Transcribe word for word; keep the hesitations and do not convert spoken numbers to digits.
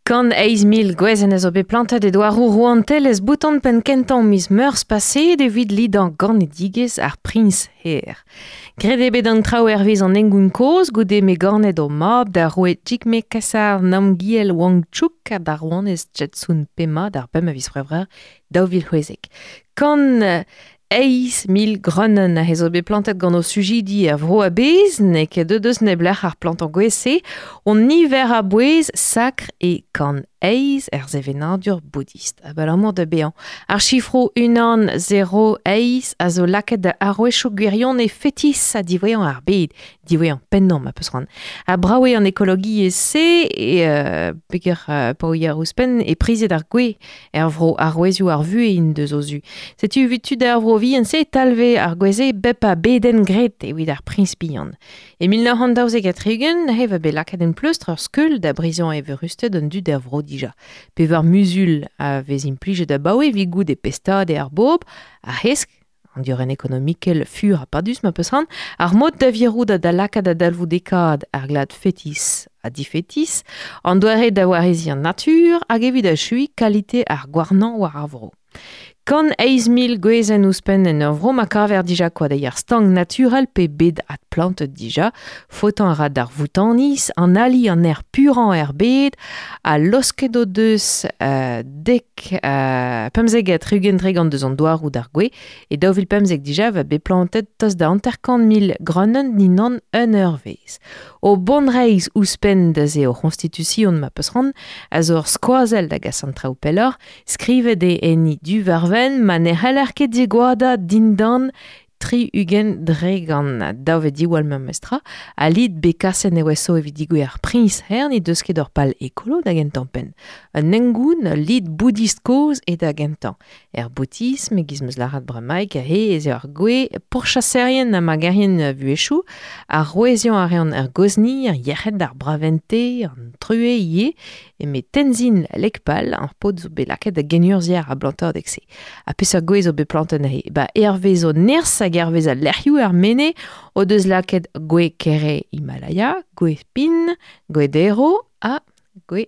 Kant eizh mil gwezenn a zo bet plantet e douaroù rouantelezh Bhoutan penn kentañ miz Meurzh paseet evit lidañ ganedigezh ar priñs hêr. Graet eo bet an traoù hervez an hengoun kozh goude m'eo ganet o mab da roue Jigme Khesar Namgyel Wangchuck ha d'ar rouanez Jetsun Pema d'ar pemp a viz C'hwevrer daou vil c'hwezek. Kant eizh mil greunenn a zo bet plantet gant o sujidi er vro a-bezh, n'eo ket deuet eus neblec'h ar plantañ gwez-se, on niver a bouez sakr e kant eizh er sevenadur boudist. Abalamour da bezañ. Ar sifroù unan zero eizh a zo lakaet da arouezioù gwirion e fetis ha diwezhañ ar bed, diwezhañ pennañ ma peus c'hoant. Ha brav eo an ekologiezh-se e euh, peger euh, pa ouier ouzhpenn e prizet ar gwez er vro arouezioù ar vuhez int deus o zu. Setu evit tud ar vro vihan-se e talve ar gwez-se bep a bedenn graet evit ar priñs bihan. E mil nav c'hant daouzek ha tri-ugent e va bet lakaet en pleustr ur skeul da brizañ evurusted an dud er vro dija. Pevar muzul a vez implijet abaoe evit goût e pestad e ar bobl, ar hesk, an diorren ekonomikel fur ha padus ma peus c'hoant, ar mod da virout ha da lakaat da dalvoudekaat ar glad fetis ha difetis, an doare da wareziñ an natur hag evit achuiñ kalite ar gouarnañ war ar vro. Kant eizh mil gwezenn ouzhpenn en ur vro ma kaver dija koadeier stank naturel pe bet adplantet dija, faotañ a ra d'ar Voutaniz, an ali an aer purañ er bed, ha losket o deus euh, dek euh, pemzek ha tri-ugent tregont deus an douaroù d'ar gwez, e daou vil pemzek dija va bet plantet tost da hanter-kant mil greunenn dindan un eurvezh. O bonreizh ouzhpenn da se o c'honstitution ma peus c'hoant, a zo ur skoazell da gas an traoù pelloc'h, skrivet eo enni du war wenn ma ne c'heller ket digoadañ dindan tri ugent dregant daou vet diwall memestra, ha lid bet kaset nevezo evit digouezh ar priñs hêr ne deus ket ur pal ekolo da gentañ penn. Un hengoun, ul lid boudist kozh eo da gentañ. Er boutisme, e-giz 'm eus lâret bremaik, he ez eo ar gwez pourchaserien ha magerien vuhezhioù, ar roueziañ a reont ar gozni, ar yec'hed, ar bravente, an truez ivez, eme Tenzin Lekpal, ar paotr zo bet lakaet da genurzhier a blantadeg-se. Ha peseurt gwez zo bet plantet neuze? Ba hervez o nerzh hag hervez al lec'hioù er mene o deus lakaet gwez kere Himalaya, gwez pin, gwez dero ha gwez